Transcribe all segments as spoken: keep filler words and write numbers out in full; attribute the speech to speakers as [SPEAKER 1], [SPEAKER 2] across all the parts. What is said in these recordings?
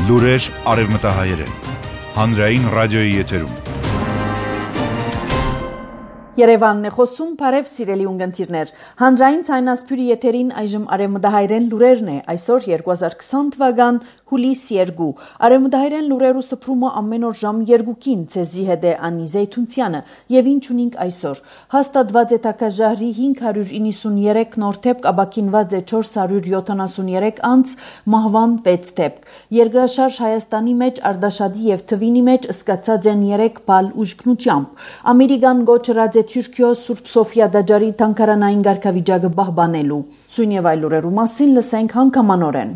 [SPEAKER 1] Լուրեր արևմտահայերեն, հանրային ռադիոյի եթերում։
[SPEAKER 2] Երևանն է խոսում, բարև սիրելի ունգընտիրներ։ Հանրային ցայնասփյուրի եթերին այժմ արևմտահայերեն լուրերն է, այսօր երկու հազար քսան թվական հուլիս երկու։ Արևմտահայերեն լուրերու սփռումը ամեն օր ժամ երկուքին ցեզի հետ է Անի Զեյթունցյանը, եւ ինչ ունենք այսօր։ Հաստատված է թակաժահրի հինգ հարյուր իննսուններեք նոր դեպք, ապաքինված է չորս հարյուր յոթանասուններեք անց, մահվան վեց դեպք։ Երկրաշարժ Հայաստանի մեջ, Արդաշադի եւ Թվինի մեջ ըսկացած են երեք բալ ուժգնությամբ։ Ամերիկան գոչրած Թուրքիո Սուրբ Սոֆիա դաջարի թանկարանային ղարքավիճակը պահպանելու։ Սույն եւ այլ լուրերու մասին լսենք հանգամանորեն։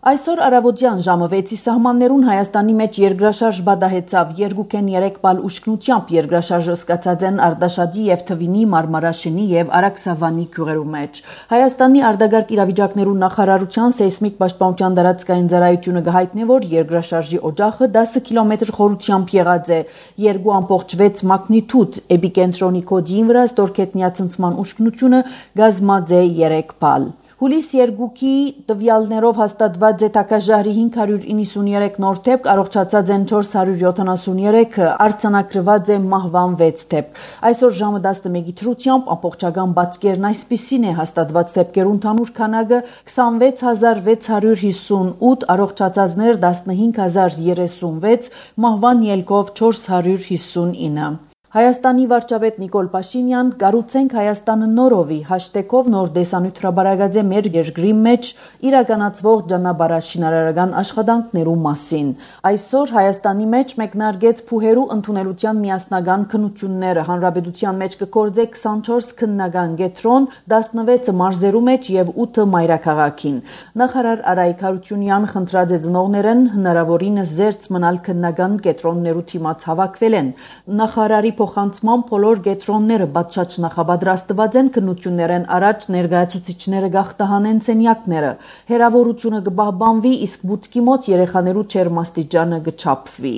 [SPEAKER 2] Այսօր առավոտյան ժամը վեցի սահմաններուն Հայաստանի մեջ երկրաշարժ բադահեցավ երկուքեն երեք բալ ուժգնությամբ երկրաշարժը սկացած են Արդաշադի եւ Թվինի Մարմարաշինի եւ Արաքսավանի գյուղերու մեջ։ Հայաստանի արտագաղթ իրավիճակներու նախարարության սեյսմիկ պաշտպանության դարածքային ծառայությունը գահիտնե, որ երկրաշարժի օջախը դասը կիլոմետր խորությամբ եղած է երկու ամբողջ վեց մագնիտուդ, էպիկենտրոնի կոդին վրա ստորգետնյա ցնցման ուժգնությունը գազմած է երեք բալ։ Հուլիս երկուքի տվյալներով հաստատված է թակաժահրի հինգ հարյուր իննսուններեք նոր դեպք, առողջացած են չորս հարյուր յոթանասուններեք, արձանագրված է մահվան վեց դեպք։ Այսօր ժամը տասնմեկի թրությամբ ամբողջական բացկերն այսպիսին է հաստատված դեպքերու ընդհանուր քանակը քսանվեց հազար վեց հարյուր հիսունութ, առողջացածներ տասնհինգ հազար երեսունվեց, մահվան ելքով չորս հարյուր հիսունինը։ Հայաստանի վարչապետ Նիկոլ Փաշինյան «Կառուցենք Հայաստանը նորովի» հաշտեգով նոր տեսանյութ հրապարակած է մեր երկրի մեջ իրականացվող ճանապարհաշինարարական աշխատանքներու մասին։ Այսօր Հայաստանի մեջ մեկնարկեց փուհերու ընդունելության միասնական քննությունները։ Հանրապետության մեջ կգործե քսանչորս քննական կետրոն, տասնվեցը մարզերու մեջ եւ ութը մայրաքաղաքին։ Նախարար Արայիկ Հարությունյան խնդրած է ծնողներեն հնարավորինս զերծ մնալ քննական կետրոններու թիմաց հավաքվել են։ Նախարարի փոխանցման բոլոր կետրոնները բացաճ նախապատրաստված են քննություններեն առաջ ներկայացուցիչները գախտահանեն սենյակները։ Հերավորությունը կպահպանվի, իսկ բուտքի մոտ երեխաներու չերմաստիճանը կչափվի։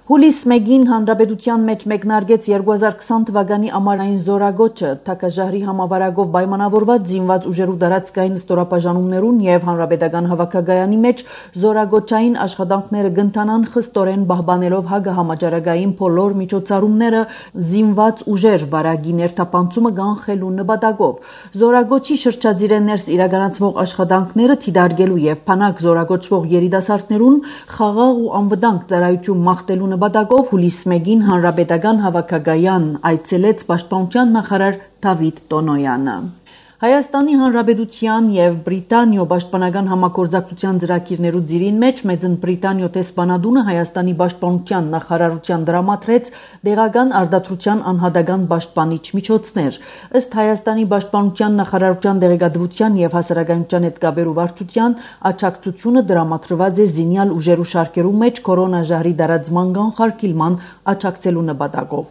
[SPEAKER 2] Հուլիս մեկին հանրապետության մեջ մեկնարկեց երկու հազար քսան թվականի ամառային զորագոչը, թակաժահրի համավարակով պայմանավորված զինված ուժերու դարածքային ստորապաժանումներուն եւ հանրապետական հավաքակայանի մեջ զորագոչային աշխատանքները կընթանան խստորեն պահպանելով հագահամաճարակային բոլոր միջոցառումները, զինված ուժեր վարագի ներթափանցումը կանխելու նպատակով։ Զորագոչի շրջադիրեն ներս իրականացվող աշխատանքները թիդարգելու եւ փանակ զորագոչվող երիտասարդներուն խաղաղ ու անվտանգ ծառայություն մաղթելու նպատակով հուլիս մեկին հանրապետական հավաքակայան այցելեց պաշտպանության նախարար Դավիթ Տոնոյանը։ Հայաստանի Հանրապետության եւ Բրիտանիո պաշտպանական համագործակցության ծրագիրներու ծիրին մեջ Մեծն Բրիտանիո տեսփանադունը Հայաստանի պաշտպանության նախարարության դրամատրեց դեղական արտադրության անհատական պաշտպանիչ միջոցներ։ Ըստ Հայաստանի պաշտպանության նախարարության դեղեկատվության եւ հասարակայնության հետ կապերու վարչության աջակցությունը դրամատրված է զինյալ ուժերու շարքերու մեջ կորոնաժահրի դարածման կանխարգելման աջակցելու նպատակով։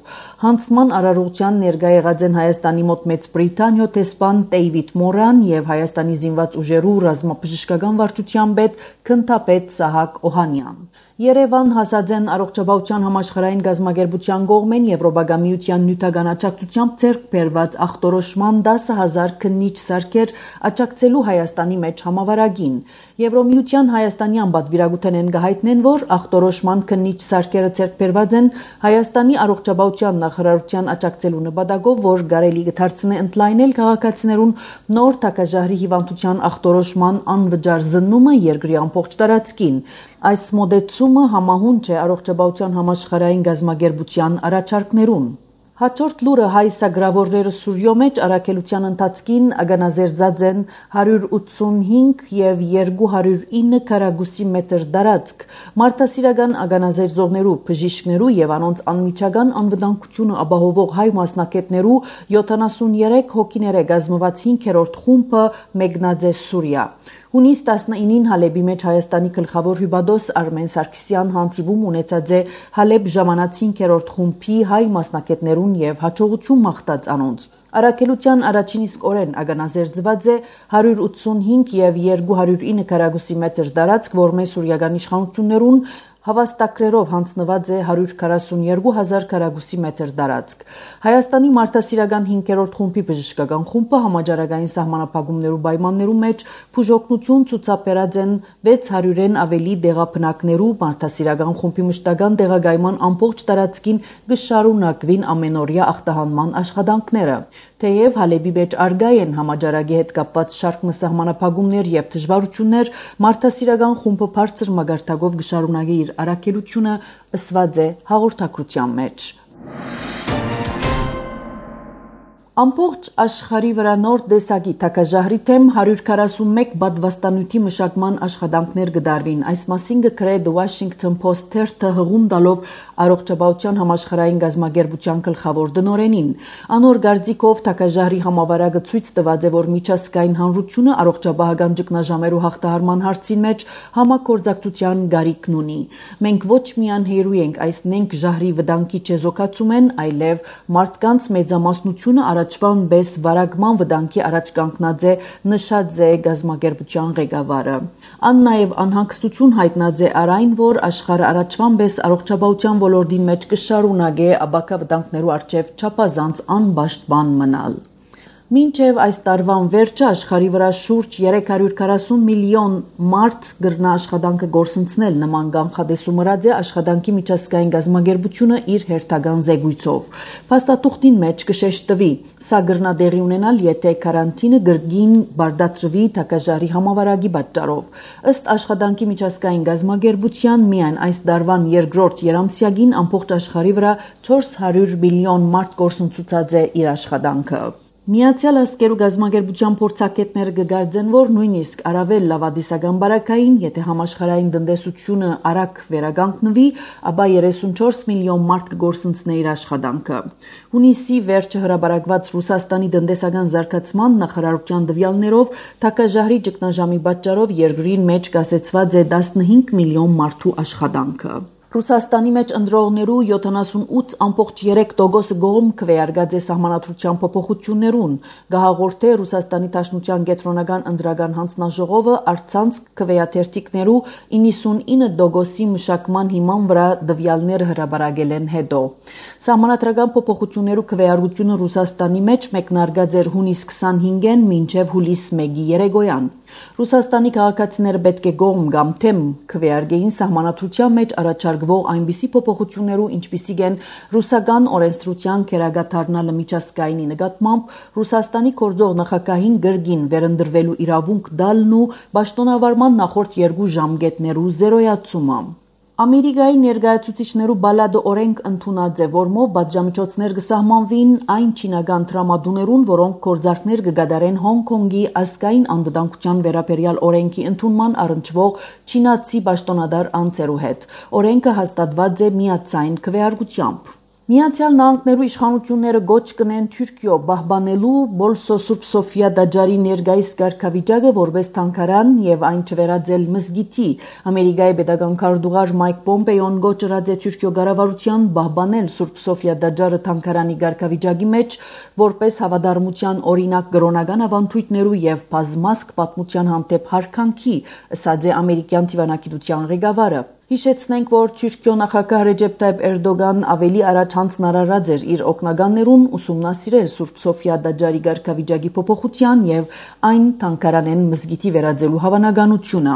[SPEAKER 2] Հանձնման արարողության ներկա եղած են Հայաստանի մոտ Մեծ Բրիտանիո տեսփան Դեյվիդ Մորան եւ Հայաստանի զինված ուժերու ռազմաբժշկական վարչության պետ Քնթապետ Սահակ Օհանյան։ Երևան հասած են առողջապահության համաշխարհային գազམ་ագերբության կողմեն Եվրոպական միության նյութական աջակցությամբ ձեռք բերված ախտորոշման դասը հազար քննիչ սարքեր աջակցելու Հայաստանի մեջ համավարակին։ Եվրոմիության Հայաստանյան պատվիրակութենեն գահիտնեն, որ ախտորոշման քննիչ սարքերը ձեռք բերված են Հայաստանի առողջապահության նախարարության աջակցելու նպատակով, որ կարելի կդարձնե ընդլայնել քաղաքացիներուն նոր թակաժահրի հիվանդության ախտորոշման անվճար զննումը երկրի ամբողջ տարածքին։ Այս մոդեցումը համահունչ է առողջապահության համաշխարհային գազམ་ագերբության առաջարկներուն։ Հաջորդ լուրը հայ սագրավորները Սուրյո մեջ առաքելության ընթացքին ագանազերծած են հարյուր ութսունհինգ եւ երկու հարյուր ինը քառակուսի մետր դարածք։ Մարդասիրական ագանազերծողներու, բժիշկներու եւ անոնց անմիջական անվտանգությունը ապահովող հայ մասնակետներու յոթանասուներեք հոգիները գազմված հինգերորդ խումբը մեկնած է Սուրիա։ Հունիս տասնինին Հալեբի մեջ Հայաստանի գլխավոր հյուպատոս Արմեն Սարգսյան հանդիպում ունեցած է Հալեբ ժամանած հինգերորդ խումբի հայ մասնակետներուն եւ հաջողություն մաղթած անոնց։ Առաքելության առաջին իսկ օրեն ագանազերծված է հարյուր ութսունհինգ եւ երկու հարյուր ինը քառակուսի մետր դարածք, որ մեծ սուրիական իշխանություններուն Հավաստակրերով հանձնված է հարյուր քառասունյոթ հազար քառակուսի մետր տարածք։ Հայաստանի մարդասիրական հինգերորդ խումբի բժշկական խումբը համաճարակային սահմանափակումներու պայմաններու մեջ բուժօգնություն ցուցաբերած են վեց հարյուրեն ավելի դեղաբնակներու մարդասիրական խումբի մշտական տեղակայման ամբողջ տարածքին կշարունակվին ամենօրյա ախտահանման աշխատանքները։ Թեև Հալեբի մեջ արգա են համաճարակի հետ կապված շարք սահմանափակումներ եւ դժվարություններ, մարդասիրական խումբը բարձր մագարտակով կշարունակի իր առաքելությունը, ըսված է հաղորդակցության մեջ։ Ամբողջ աշխարհի վրա նոր տեսակի թակաժահրի թեմ հարյուր քառասունմեկ պատվաստանյութի մշակման աշխատանքներ կդարվին։ Այս մասին կգրե The Washington Post թերթը հղում տալով առողջապահության համաշխարհային գազագերբության գլխավոր դնորենին։ Անոր գարձիկով թակաժահրի համավարակը ցույց տված է, որ միջազգային հանրությունը առողջապահական ճգնաժամերու հաղթահարման հարցին մեջ համագործակցության գարիքն ունի։ Մենք ոչ միայն հերույ ենք այս նենք ժահրի վտանգի չեզոքացում են, այլև մարդկանց մեծամասնությունը Առաջվան բես վարակման վտանգի առաջ կանգնած է, նշած է գազագերբության ղեկավարը։ Ան նաև անհանգստություն հայտնած է արայն, որ աշխարհը առաջվան բես առողջապահության ոլորտին մեջ կշարունակե աբակա վտանգներու առջև չափազանց անպաշտպան մնալ։ Մինչև այս տարվան վերջը աշխարհի վրա շուրջ երեք հարյուր քառասուն միլիոն մարդ գրնա աշխատանքը գործընծնել նման կանխատեսում ըրած է աշխատանքի միջազգային գազագերբությունը իր հերթական զեկույցով։ Փաստաթուղթին մեջ կշեշտվի, սա գրնա տեղի ունենալ, եթե կարանտինը գրգին բարդացրվի թակաժահրի համավարակի պատճառով։ Ըստ աշխատանքի միջազգային գազագերբության միայն այս տարվան երկրորդ երամսյակին ամբողջ աշխարհի վրա չորս հարյուր միլիոն մարդ գործընծուցած է իր աշխատանքը։ Միացյալ Ազգերու գազագերբության փորձագետները կգարձեն, որ նույնիսկ առավել լավադիսական բարակային, եթե համաշխարհային տնտեսությունը արագ վերականգնվի, ապա երեսունչորս միլիոն մարդ կգործընծնի իր աշխատանքը։ Հունիսի վերջը հրապարակված Ռուսաստանի տնտեսական զարգացման նախարարության տվյալներով թակաժահրի ճգնաժամի պատճառով երկրին մեջ կասեցված է տասնհինգ միլիոն մարդու աշխատանքը։ Ռուսաստանի մեջ ընտրողներու յոթանասունութ ամբողջ երեք տոկոսը գոհում քվեարկած է սահմանադրության փոփոխություններուն։ Գահաղորդե Ռուսաստանի Դաշնության կենտրոնական ընտրական հանձնաժողովը առցանց քվեաթերթիկներու իննսունինը տոկոսի մշակման հիման վրա տվյալներ հրապարակել են հետո։ Սահմանադրական փոփոխություններու քվեարկությունը Ռուսաստանի մեջ մեկնարկած էր հունիս քսանհինգին մինչև հուլիս մեկի երեկոյան։ Ռուսաստանի քաղաքացիները պետք է գոհում կամ թեմ քվեարկեին սահմանադրության մեջ առաջարկվող այնպիսի փոփոխություններու, ինչպիսիք են ռուսական օրենսդրության քերագաթարնալը միջազգայինի նկատմամբ, Ռուսաստանի գործող նախագահին գրգին վերընտրվելու իրավունք տալն ու պաշտոնավարման նախորդ երկու ժամկետներու զերոյացումը։ Ամերիկայի ներկայացուցիչներու բալադը օրենք ընդունած է, որմով պատժամիջոցներ կսահմանվին այն չինական տրամադուներուն, որոնք գործարքներ կգադարեն Հոնկոնգի ազգային անվտանգության վերաբերյալ օրենքի ընդունման առնչվող չինացի պաշտոնատար անձերու հետ։ Օրենքը հաստատված է միացային քվեարկությամբ։ Միացյալ Նահանգներու իշխանությունները գոչ կնեն Թուրքիո պահպանելու Բոլսո Սուրբ Սոֆիա տաճարի ներկայիս կարգավիճակը որպես թանգարան եւ այն չվերածել մզգիթի։ Ամերիկայի պետական քարտուղար Մայք Պոմպեոն գոչ ըրած է Թուրքիո կառավարության պահպանել Սուրբ Սոֆիա տաճարը թանգարանի կարգավիճակի մեջ որպես հավատարմության օրինակ կրոնական ավանդույթներու եւ բազմազգ պատմության հանդեպ հարկանքի, ըսած է ամերիկյան դիվանագիտության ղեկավարը։ Հիշեցնենք, որ Թուրքիո նախագահ Ռեջեփ Թայիփ Էրդոգան ավելի առաջ հանձնարարած էր իր օգնականներուն ուսումնասիրել Սուրբ Սոֆիա տաճարի կարգավիճակի փոփոխության եւ այն թանգարանեն մզգիթի վերածելու հավանականությունը։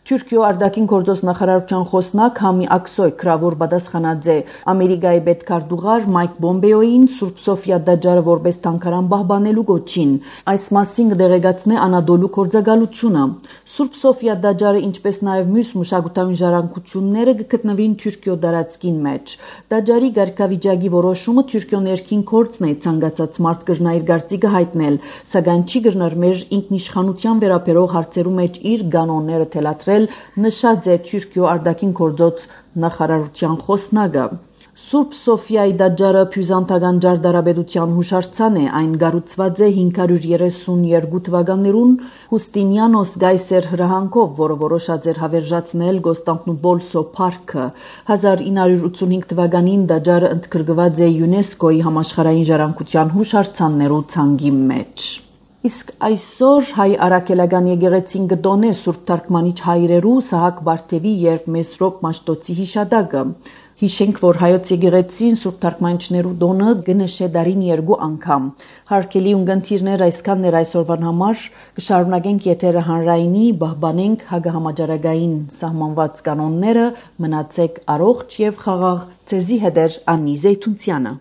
[SPEAKER 2] Թուրքիո արտաքին գործոս նախարարության խոսնակ Համի Ակսոյ քրավոր պատասխանած է Ամերիկայի պետքարտուղար Մայք Պոմպեոին Սուրբ Սոֆիա տաճարը որպես թանգարան պահպանելու գոչին։ Այս մասին կդեղեկացնե Անադոլու գործակալությունը։ Սուրբ Սոֆիա տաճարը, ինչպես նաև մյուս մշակութային ժառանգությունները կգտնվին Թուրքիո տարածքին մեջ։ Տաճարի կարգավիճակի որոշումը Թուրքիո ներքին գործն է, ցանկացած մարդ կրնա իր կարծիքը հայտնել, սակայն չի կրնար մեր ինքնիշխանության վերաբերող հարցերու մեջ իր կանոնները թելադրել, նշած է Թուրքիո արտաքին գործոց նախարարության խոսնակը։ Սուրբ Սոֆիայի տաճարը Բյուզանդական ճարտարապետության հուշարձան է, այն կառուցված է հինգ հարյուր երեսունյոթ թվականներուն Հուստինիանոս Գայսեր հրահանգով, որը որոշած էր հավերժացնել Կոստանդնուպոլսո փառքը։ հազար ինը հարյուր ութսունհինգ թվականին տաճարը ընդգրկված է ՅՈՒՆԵՍԿՕ-ի համաշխարհային ժառանգության հուշարձաններու ցանկի մեջ։ Իսկ այսօր հայ արաքելական եկեղեցին գտոնե Սուրբ Թարգմանիչ հայրերու Սահակ Բարթևի եւ Մեսրոպ Մաշտոցի հիշադակը։ Հիշենք, որ հայոց եկեղեցին Սուրբ Թարգմանիչներու տոնը գնշե դարին երկու անգամ։ Հարկելի ունգընթիրներ այսքան ներ այսօրվան համար կշարունակենք եթերը հանրայինի, բահբանենք հագահամաճարակային սահմանված կանոնները, մնացեք առողջ եւ խաղաղ, ցեզի հետեր Անի Զեյթունցյանը։